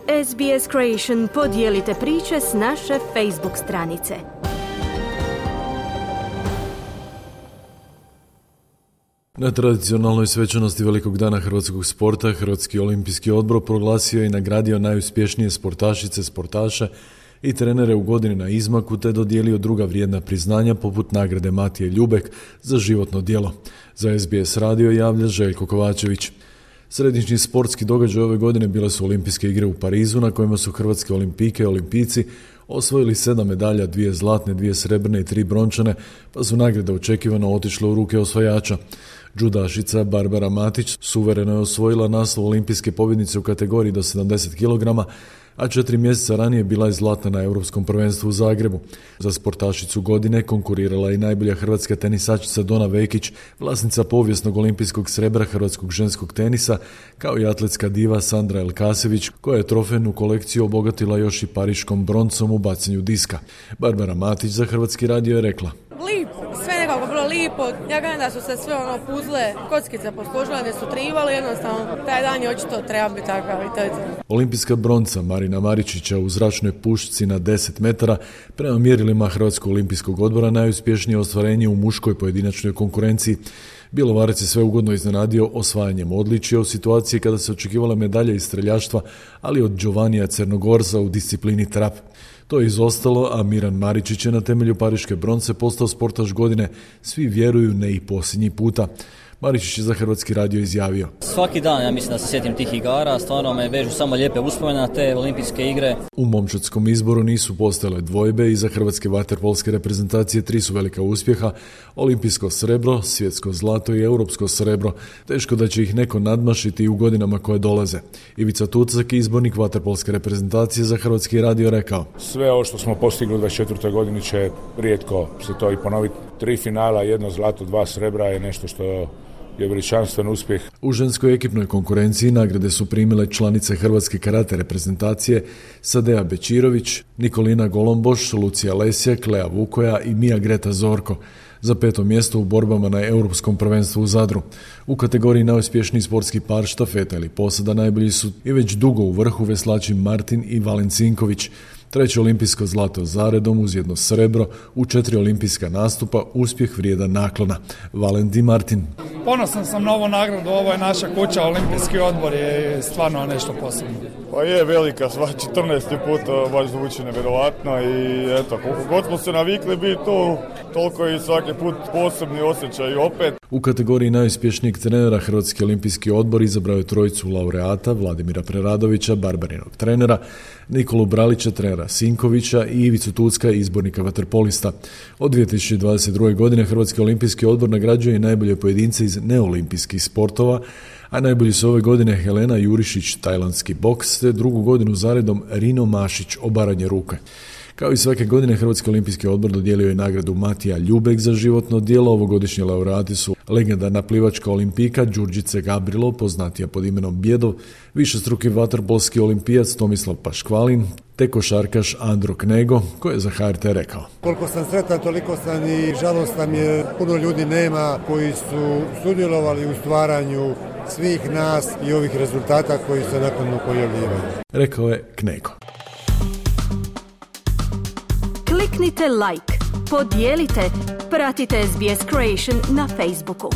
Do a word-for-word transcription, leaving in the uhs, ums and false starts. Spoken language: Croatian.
S B S Creation, podijelite priče s naše Facebook stranice. Na tradicionalnoj svečanosti Velikog dana hrvatskog sporta, Hrvatski olimpijski odbor proglasio i nagradio najuspješnije sportašice, sportaše i trenere u godini na izmaku, te dodijelio druga vrijedna priznanja poput nagrade Matije Ljubek za životno djelo. Za S B S radio javlja Željko Kovačević. Središnji sportski događaj ove godine bile su olimpijske igre u Parizu, na kojima su hrvatske olimpijke i olimpijci osvojili sedam medalja, dvije zlatne, dvije srebrne i tri brončane, pa su nagrade očekivano otišle u ruke osvajača. Džudašica Barbara Matić suvereno je osvojila naslov olimpijske pobjednice u kategoriji do sedamdeset kilograma, a četiri mjeseca ranije bila je zlatna na Europskom prvenstvu u Zagrebu. Za sportašicu godine konkurirala i najbolja hrvatska tenisačica Dona Vekić, vlasnica povijesnog olimpijskog srebra hrvatskog ženskog tenisa, kao i atletska diva Sandra Elkasević, koja je trofejnu kolekciju obogatila još i pariškom broncom u bacanju diska. Barbara Matić za Hrvatski radio je rekla: Lipo, sve nekako bilo lipo. Ja gledam da su se sve ono puzle, kockice posložile, da su trivali, jednostavno taj dan je očito treba biti takav i to je to. Olimpijska bronca Marina Maričića u zračnoj pušci na deset metara prema mjerilima Hrvatskog olimpijskog odbora najuspješnije ostvarenje u muškoj pojedinačnoj konkurenciji. Bjelovarac je sve ugodno iznenadio osvajanjem odličja u situaciji kada se očekivala medalja iz streljaštva, ali od Giovannija Crnogorca u disciplini trap. To je izostalo, a Miran Maričić je na temelju pariške bronce postao sportaš godine. Svi vjeruju, ne i posljednji puta. Maričić je za Hrvatski radio izjavio: Svaki dan ja mislim da se sjetim tih igara, stvarno me vežu samo lijepe uspomene na te olimpijske igre. U momčadskom izboru nisu postojale dvojbe i za hrvatske vaterpolske reprezentacije tri su velika uspjeha: olimpijsko srebro, svjetsko zlato i europsko srebro. Teško da će ih neko nadmašiti u godinama koje dolaze. Ivica Tucak, izbornik vaterpolske reprezentacije, za Hrvatski radio rekao: Sve ovo što smo postigli u dvadeset četvrtoj godini će rijetko se to i ponoviti. Tri finala, jedno zlato, dva srebra je nešto što je veličanstven uspjeh. U ženskoj ekipnoj konkurenciji nagrade su primile članice hrvatske karate reprezentacije Sadea Bečirović, Nikolina Golomboš, Lucija Lesjak, Lea Vukoja i Mija Greta Zorko. Za peto mjesto u borbama na Europskom prvenstvu u Zadru. U kategoriji najuspješniji sportski par štafeta ili posada najbolji su i već dugo u vrhu veslači Martin i Valen Cinković. Treće olimpijsko zlato zaredom uz jedno srebro, u četiri olimpijska nastupa, uspjeh vrijedan naklona. Valen Di Martin. Ponosan sam na ovu nagradu, ovo je naša kuća, olimpijski odbor je stvarno nešto posebno. Pa je velika, sva četrnaesti put, baš zvuči nevjerovatno i eto, koliko god smo se navikli biti tu, toliko i svaki put posebni osjećaj opet. U kategoriji najuspješnijeg trenera Hrvatski olimpijski odbor izabrao je trojicu laureata: Vladimira Preradovića, Barbarinog trenera, Nikolu Bralića, trenera Sinkovića i Ivicu Tucka, izbornika vaterpolista. Od dvije tisuće dvadeset druge. godine Hrvatski olimpijski odbor nagrađuje i najbolje pojedince iz neolimpijskih sportova, a najbolji su ove godine Helena Jurišić, tajlandski boks, te drugu godinu zaredom Rino Mašić, obaranje ruke. Kao i svake godine, Hrvatski olimpijski odbor dodijelio je nagradu Matija Ljubek za životno djelo. Ovogodišnji laureati su legendarna plivačka olimpijka Đurđice Gabrilo, poznatija pod imenom Bjedov, višestruki vaterpolski olimpijac Tomislav Paškvalin, te košarkaš Andro Knego, koji je za H R T rekao: Koliko sam sretan, toliko sam i žalostan jer puno ljudi nema koji su sudjelovali u stvaranju svih nas i ovih rezultata koji se nakon pojavljivaju. Rekao je Knego. Kliknite like, podijelite, pratite S B S Creation na Facebooku.